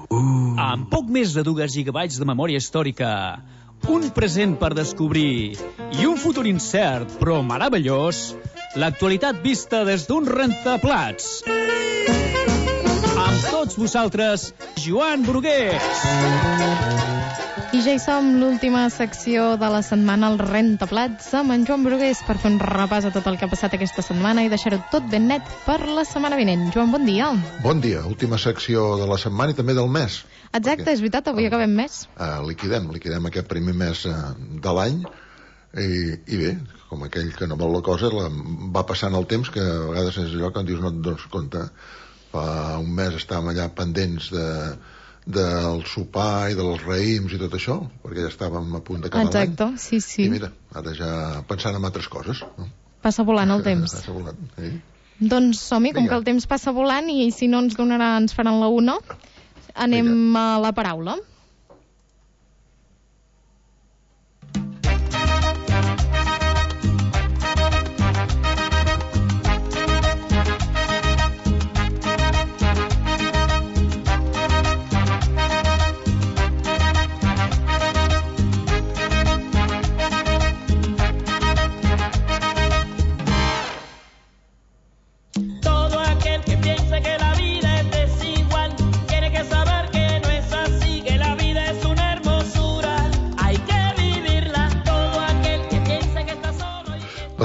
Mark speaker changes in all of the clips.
Speaker 1: Amb poc més de 2 gigabytes de memòria històrica, un present per descobrir i un futur incert però meravellós, l'actualitat vista des d'un rentaplats. Amb tots vosaltres, Joan Brugués.
Speaker 2: I ja hi som, l'última secció de la setmana, el rentaplats, amb en Joan Brugués, per fer un repàs a tot el que ha passat aquesta setmana i deixar-ho tot ben net per la setmana vinent. Joan, bon dia.
Speaker 3: Bon dia, última secció de la setmana i també del mes.
Speaker 2: Exacte, és veritat, avui acabem mes.
Speaker 3: Liquidem aquest primer mes de l'any i bé, com aquell que no vol la cosa, va passant el temps, que a vegades és allò que dius no et dones compte. Fa un mes estàvem allà pendents del sopar i dels raïms i tot això, perquè ja estàvem a punt d'acabar l'any.
Speaker 2: Exacte, sí.
Speaker 3: I mira, ara ja pensant en altres coses. No?
Speaker 2: Passa volant el temps.
Speaker 3: Passa volant, sí.
Speaker 2: Doncs som-hi, com que el temps passa volant i si no ens faran la 1, anem a la paraula.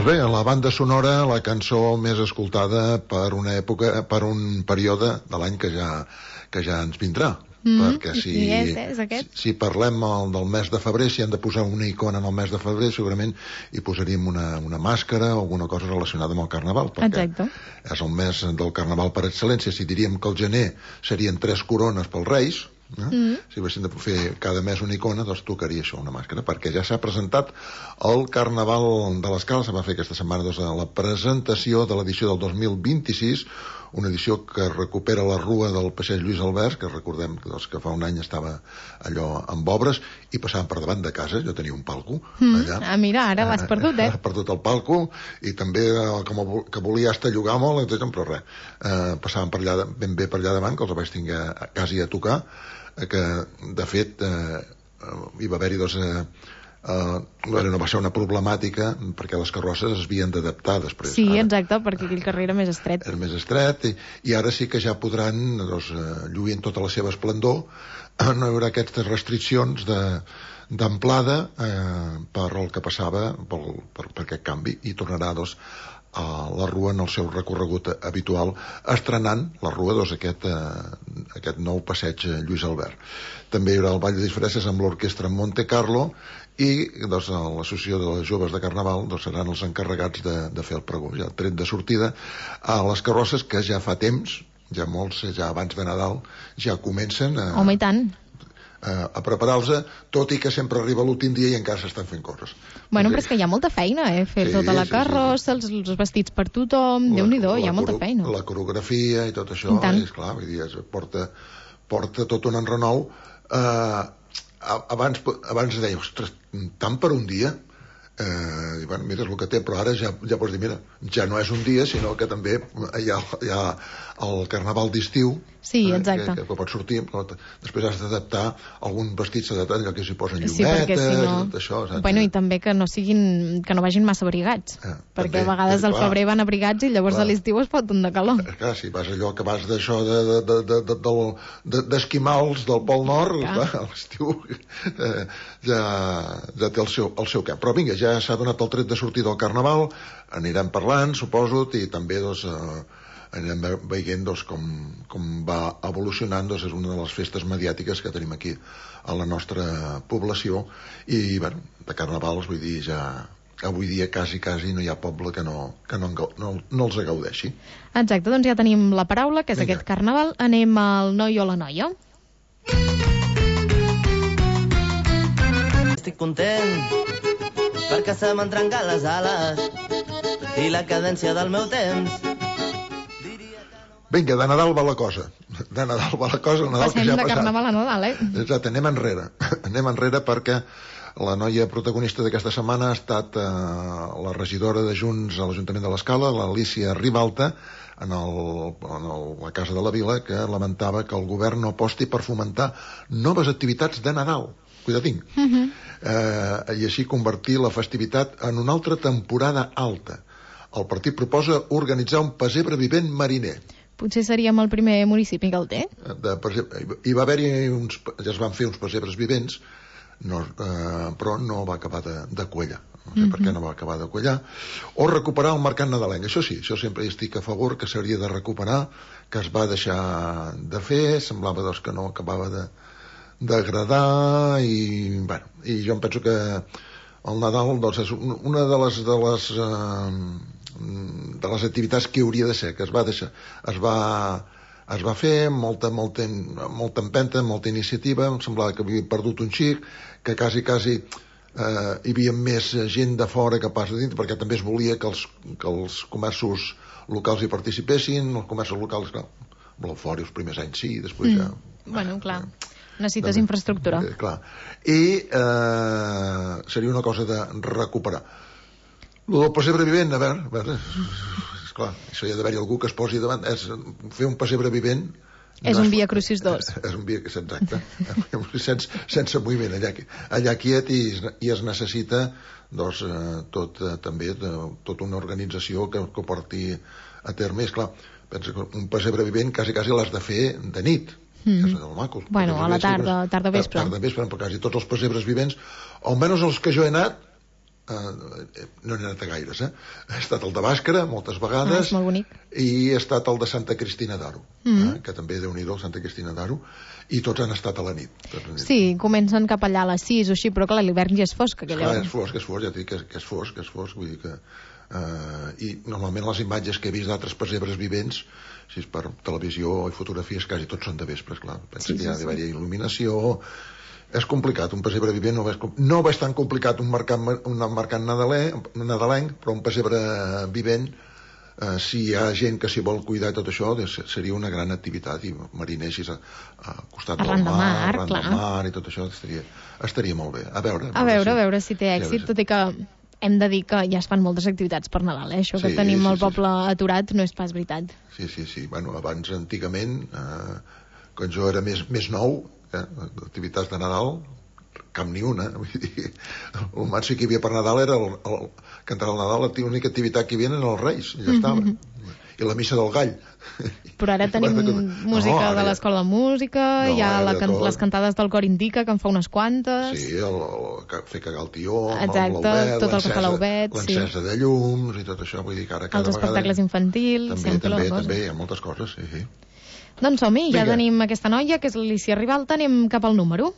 Speaker 3: Bé, la banda sonora, la cançó més escoltada per una època, per un període de l'any que ja ens vindrà. Perquè si parlem del mes de febrer, si hem de posar una icona en el mes de febrer, segurament hi posaríem una màscara o alguna cosa relacionada amb el Carnaval, perquè és el mes del Carnaval per excel·lència. Si diríem que el gener serien 3 corones pels Reis, si haguéssim de fer cada mes una icona, doncs tocaria això, una màscara, perquè ja s'ha presentat el Carnaval de l'Escala. Se va fer aquesta setmana la presentació de l'edició del 2026, una edició que recupera la rua del passeig Lluís Albert, que recordem que fa un any estava allò amb obres, i passàvem per davant de casa. Jo tenia un palco allà.
Speaker 2: Mira, ara l'has perdut,
Speaker 3: Has perdut el palco, i també que volia estar a llogar molt, però res, passàvem ben bé per allà davant, que els vaig tenir quasi a tocar, que de fet hi va haver-hi no va ser una problemàtica perquè les carrosses es havien d'adaptar després.
Speaker 2: Sí, exacte, perquè aquell carrer era més estret.
Speaker 3: Era més estret, i ara sí que ja podran lluir en tota la seva esplendor. No hi haurà aquestes restriccions d'amplada per el que passava, per aquest canvi, i tornarà a la rua en el seu recorregut habitual, estrenant la rua aquest nou passeig Lluís Albert. També hi haurà el ball de disfresses amb l'orquestra Monte Carlo, i l'associació de joves de Carnaval seran els encarregats de fer el pregó. Ja el tret de sortida a les carrosses, que ja fa temps, ja molts, ja abans de Nadal, ja comencen
Speaker 2: Home, i tant.
Speaker 3: A preparar-los, tot i que sempre arriba l'últim dia i encara s'estan fent coses.
Speaker 2: Bueno, però és que hi ha molta feina, fer tota la carrossa, els vestits per tothom, Déu-n'hi-do, hi ha molta feina.
Speaker 3: La coreografia i tot això, és clar, vull dir, porta tot un enrenou. Abans deia, ostres, tant per un dia? Mira, és el que té, però ara ja pots dir, mira, ja no és un dia, sinó que també hi ha el Carnaval d'estiu,
Speaker 2: sí, exacte,
Speaker 3: que pot sortir, però després has d'adaptar alguns vestits, allò que s'hi posen llumetes i tot això.
Speaker 2: Bueno, i també que no vagin massa abrigats, perquè a vegades al febrer van abrigats i llavors a l'estiu es foten de calor.
Speaker 3: Clar, si vas allò que vas d'això d'esquimals del Pol Nord, a l'estiu ja té el seu cap. Però vinga, ja s'ha donat el tret de sortir del Carnaval, anirem parlant, suposo, i també anirem veient com va evolucionant. És una de les festes mediàtiques que tenim aquí a la nostra població, i de carnavals, vull dir, ja avui dia quasi no hi ha poble que no els gaudeixi.
Speaker 2: Exacte, doncs ja tenim la paraula, que és aquest Carnaval. Anem al noi o la noia.
Speaker 4: Estic content perquè se m'han trencat les ales i la cadència del meu temps.
Speaker 3: Vinga, de Nadal va la cosa. De Nadal va la cosa.
Speaker 2: Passem de Carnaval a Nadal,
Speaker 3: Exacte, anem enrere. Anem enrere perquè La noia protagonista d'aquesta setmana ha estat la regidora de Junts a l'Ajuntament de l'Escala, l'Alícia Ribalta, a la Casa de la Vila, que lamentava que el govern no aposti per fomentar noves activitats de Nadal. Cuidatín. I així convertir la festivitat en una altra temporada alta. El partit proposa organitzar un pessebre vivent mariner.
Speaker 2: Potser seríem el primer municipi que el té.
Speaker 3: Hi va haver-hi ja es van fer uns pessebres vivents, però no va acabar de quallar. No sé per què no va acabar de quallar. O recuperar el mercat nadalenc. Això sí, això sempre hi estic a favor, que s'hauria de recuperar, que es va deixar de fer, semblava que no acabava d'agradar, i jo em penso que el Nadal és una de les activitats que hauria de ser, que es va fer molta empenta, molta iniciativa. Em semblava que havia perdut un xic, que quasi hi havia més gent de fora que pas de dintre, perquè també es volia que els comerços locals hi participessin. Els comerços locals, clar, fora els primers anys sí, després ja...
Speaker 2: Bueno, clar, necessites infraestructura.
Speaker 3: Clar. I seria una cosa de recuperar. El pessebre vivent, a veure, esclar, això hi ha d'haver-hi algú que es posi davant. Fer un pessebre vivent...
Speaker 2: És un Via Crucis 2.
Speaker 3: És un Via Crucis, exacte. Sense moviment, allà quiet, i es necessita tota una organització que ho porti a terme. És clar, pensa que un pessebre vivent quasi l'has de fer de nit.
Speaker 2: Bueno, a la tarda vespre.
Speaker 3: Però quasi tots els pessebres vivents, almenys els que jo he anat, no n'he anat a gaires, he estat al de Bàscara moltes vegades,
Speaker 2: és molt bonic,
Speaker 3: i he estat al de Santa Cristina d'Aro, que també Déu-n'hi-do, Santa Cristina d'Aro, i tots han estat a la nit.
Speaker 2: Sí, comencen cap allà a les 6 o així, però clar, l'hivern ja és fosc.
Speaker 3: És fosc, ja et dic que és fosc, vull dir que... I normalment les imatges que he vist d'altres pessebres vivents, si és per televisió i fotografies, quasi tots són de vespre, clar. Pensa que hi ha d'haver il·luminació. És complicat, un pessebre vivent no és tan complicat un mercat nadalenc, però un pessebre vivent, si hi ha gent que s'hi vol cuidar i tot això, seria una gran activitat, i mariners al costat del mar, arran del mar i tot això, estaria molt bé. A
Speaker 2: veure si té èxit, tot i que hem de dir que ja es fan moltes activitats per Nadal, això que tenim el poble aturat no és pas veritat.
Speaker 3: Sí, bueno, abans, antigament, quan jo era més nou, activitats de Nadal, cap ni una. Vull dir, el màxim que hi havia per Nadal era cantar el Nadal, l'única activitat que hi havia eren els Reis, i ja estava. I la missa del gall.
Speaker 2: Però ara tenim música de l'Escola de Música, hi ha les cantades del Cor Indica, que en fa unes quantes.
Speaker 3: Sí, fer cagar el tió,
Speaker 2: exacte, tot el que fa l'Obet,
Speaker 3: l'encesa de llums i tot això, vull dir que ara cada
Speaker 2: vegada... Els espectacles infantils,
Speaker 3: també, hi ha moltes coses, sí.
Speaker 2: Doncs som-hi, ja tenim aquesta noia, que és l'Alícia Ribalta, anem cap al número.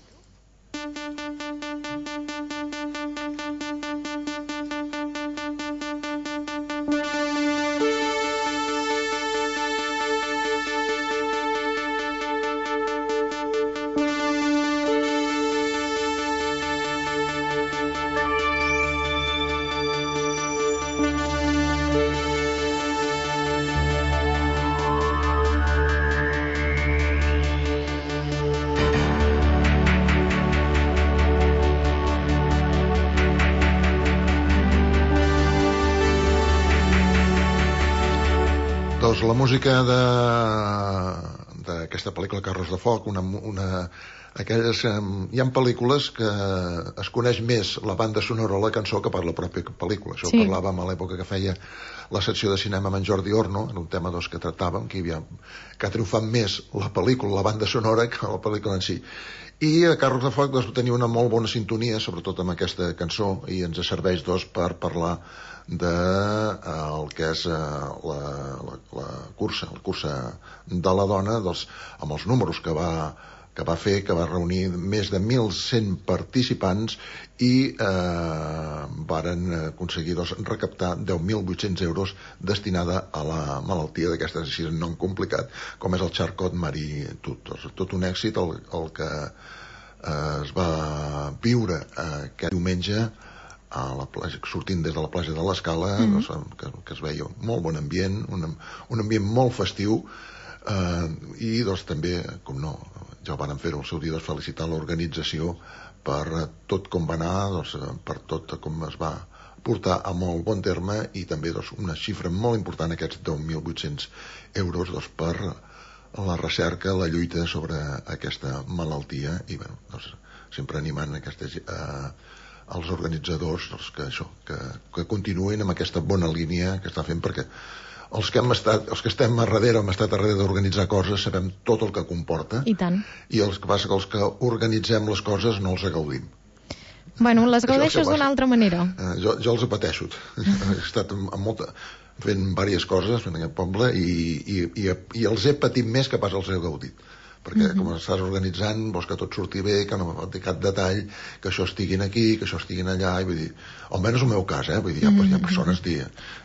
Speaker 3: La música d'aquesta pel·lícula Carros de Foc, hi ha pel·lícules que es coneix més la banda sonora o la cançó que per la pròpia pel·lícula. Això ho parlàvem a l'època que feia la secció de cinema amb en Jordi Orno, en un tema que tractàvem, que ha triomfat més la pel·lícula, la banda sonora, que la pel·lícula en si. I a Carros de Foc tenia una molt bona sintonia, sobretot amb aquesta cançó, i ens serveix per parlar del que és la cursa de la dona, amb els números que va fer, que va reunir més de 1.100 participants i varen aconseguir recaptar 10.800 euros destinada a la malaltia d'aquestes, així un nom complicat, com és el Charcot-Marie Tooth. Tot un èxit el que es va viure aquest diumenge a la platja, sortint des de la platja de l'Escala, que es veia molt bon ambient, un ambient molt festiu, i també, com no, ja ho van fer el seu dia, doncs, felicitar l'organització per tot com va anar, doncs, per tot com es va portar a molt bon terme, i també doncs, una xifra molt important, aquests 10.800 euros, doncs, per la recerca, la lluita sobre aquesta malaltia, i bueno, doncs, sempre animant els organitzadors, doncs, que continuïn amb aquesta bona línia que està fent, perquè els que estem a darrere, hem estat a darrere d'organitzar coses, sabem tot el que comporta.
Speaker 2: I tant.
Speaker 3: I el que passa que els que organitzem les coses no els gaudim.
Speaker 2: Bueno, les gaudeixes d'una altra manera.
Speaker 3: Jo els pateixo. He estat fent diverses coses en aquest poble i els he patit més que pas els he gaudit. Perquè com estàs organitzant, vols que tot surti bé, que no falti cap detall, que això estiguin aquí, que això estiguin allà, i vull dir, almenys el meu cas, vull dir, hi ha persones,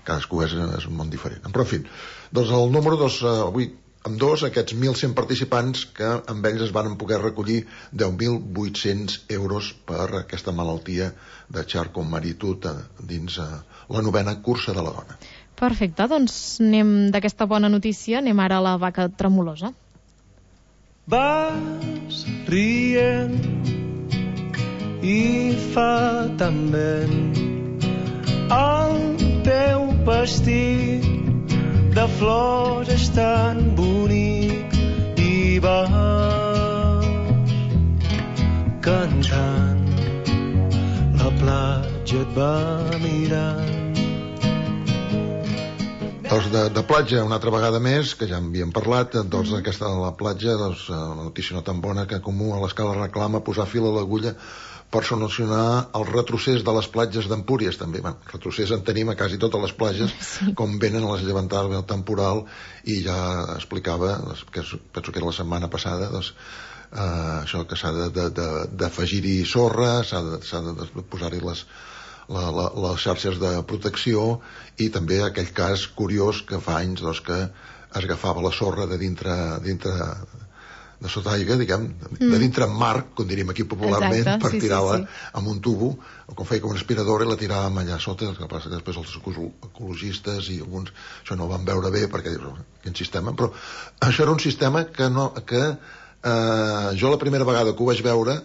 Speaker 3: cadascú és un món diferent. Però, en fi, doncs el número 2, avui, amb aquests 1.100 participants, que amb ells es van poder recollir 10.800 euros per aquesta malaltia de Charcot-Marie-Tooth dins la 9ª cursa de la dona.
Speaker 2: Perfecte, doncs anem d'aquesta bona notícia, anem ara a la vaca tremolosa.
Speaker 5: Vas rient i fa tan vent el teu vestit de flors és tan bonic i vas cantant, la platja et va mirant.
Speaker 3: Doncs de platja, una altra vegada més, que ja en havíem parlat, doncs aquesta de la platja, doncs una notícia no tan bona que Comú a l'Escala reclama posar fil a l'agulla per solucionar el retrocés de les platges d'Empúries, també. Bueno, retrocés en tenim a quasi totes les platges, com venen a les llevantades del temporal, i ja explicava, que penso que era la setmana passada, doncs, això que s'ha d'afegir-hi sorra, s'ha de posar-hi les xarxes de protecció, i també aquell cas curiós que fa anys doncs, que es agafava la sorra de dintre de sota aigua, diguem, de dintre en mar, com diríem aquí popularment. Exacte, per tirar-la amb un tubo, com feia com una aspiradora, i la tiràvem allà sota. El que passa que després els ecologistes i alguns això no ho van veure bé, perquè dius, quin sistema, però això era un sistema que jo la primera vegada que ho vaig veure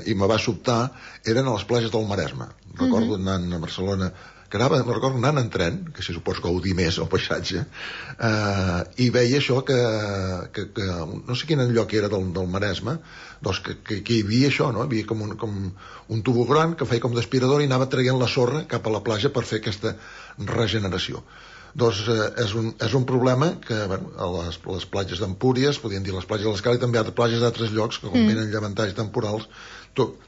Speaker 3: i me va sobtar, eren a les platges del Maresme. Recordo anant a Barcelona, recordo anant en tren, que si suposo gaudir més el paisatge, i veia això que no sé quin lloc era del Maresme, doncs que hi havia això, no? Hi havia com un tubo gran que feia com d'aspirador i anava traient la sorra cap a la platja per fer aquesta regeneració. Doncs és un problema que a les platges d'Empúries, podríem dir les platges de l'Escala, i també a platges d'altres llocs que com venen llevantalls temporals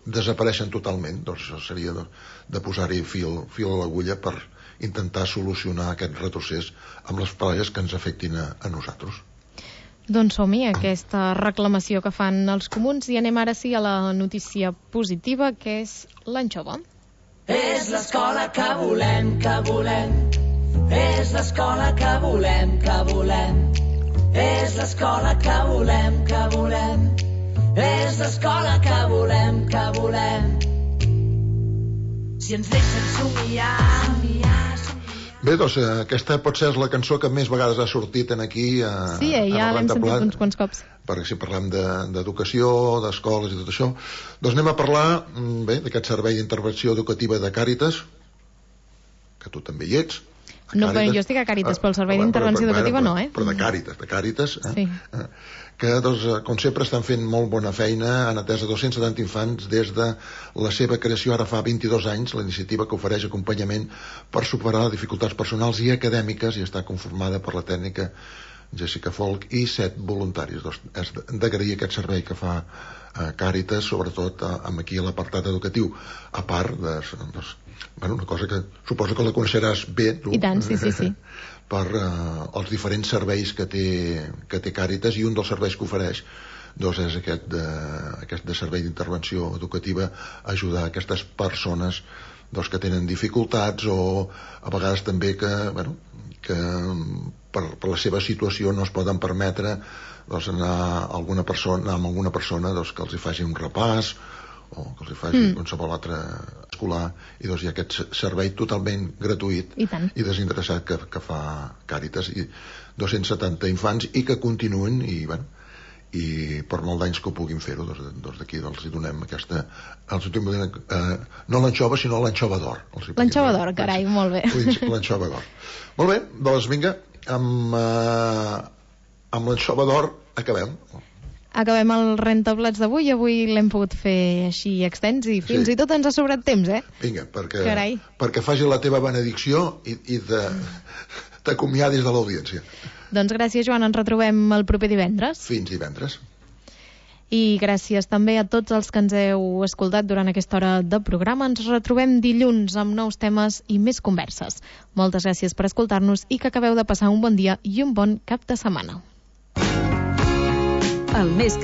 Speaker 3: desapareixen totalment. Doncs això seria de posar-hi fil a l'agulla per intentar solucionar aquest retrocés amb les platges que ens afectin a nosaltres.
Speaker 2: Doncs som-hi, aquesta reclamació que fan els comuns, i anem ara sí a la notícia positiva, que és l'anxova.
Speaker 6: És l'escola que volem, que volem. És l'escola que volem, que volem. És l'escola que volem, que volem. És l'escola que volem, que volem. Si ens deixen somiar.
Speaker 3: Bé, doncs aquesta pot ser la cançó que més vegades ha sortit aquí a
Speaker 2: sí, ja l'hem sentit uns quants cops.
Speaker 3: Perquè si parlem d'educació, d'escoles i tot això, doncs anem a parlar d'aquest servei d'intervenció educativa de Càritas, que tu també hi ets.
Speaker 2: No, però jo estic a Càritas, però el servei d'intervenció educativa no,
Speaker 3: Però de Càritas,
Speaker 2: sí.
Speaker 3: Que, doncs, com sempre, estan fent molt bona feina, han atès a 270 infants des de la seva creació, ara fa 22 anys, la iniciativa que ofereix acompanyament per superar dificultats personals i acadèmiques, i està conformada per la tècnica Jessica Folk i 7 voluntaris. Doncs és d'agrair aquest servei que fa Càritas, sobretot amb aquí l'apartat educatiu, a part de una cosa que suposo que la coneixeràs bé, tu.
Speaker 2: I tant, sí.
Speaker 3: Per els diferents serveis que té Càritas, i un dels serveis que ofereix doncs és aquest de servei d'intervenció educativa, ajudar aquestes persones doncs, que tenen dificultats, o a vegades també que per la seva situació no es poden permetre doncs, anar amb alguna persona doncs, que els hi faci un repàs o que els hi faci qualsevol altre escolar, i doncs hi ha aquest servei totalment gratuït i desinteressat que fa Càritas, i 270 infants, i que continuen, i per molt d'anys que ho puguin fer-ho, doncs d'aquí els hi donem aquesta... no l'anxova, sinó l'anxova d'or.
Speaker 2: L'anxova d'or, carai, molt bé.
Speaker 3: L'anxova d'or. Molt bé, doncs vinga, amb l'anxova d'or acabem.
Speaker 2: Acabem el rentaplats d'avui. Avui l'hem pogut fer així extens i fins i tot ens ha sobrat temps,
Speaker 3: Vinga, perquè faci la teva benedicció i t'acomiadis de l'audiència.
Speaker 2: Doncs gràcies, Joan, ens retrobem el proper divendres.
Speaker 3: Fins divendres.
Speaker 2: I gràcies també a tots els que ens heu escoltat durant aquesta hora de programa. Ens retrobem dilluns amb nous temes i més converses. Moltes gràcies per escoltar-nos i que acabeu de passar un bon dia i un bon cap de setmana.
Speaker 7: El més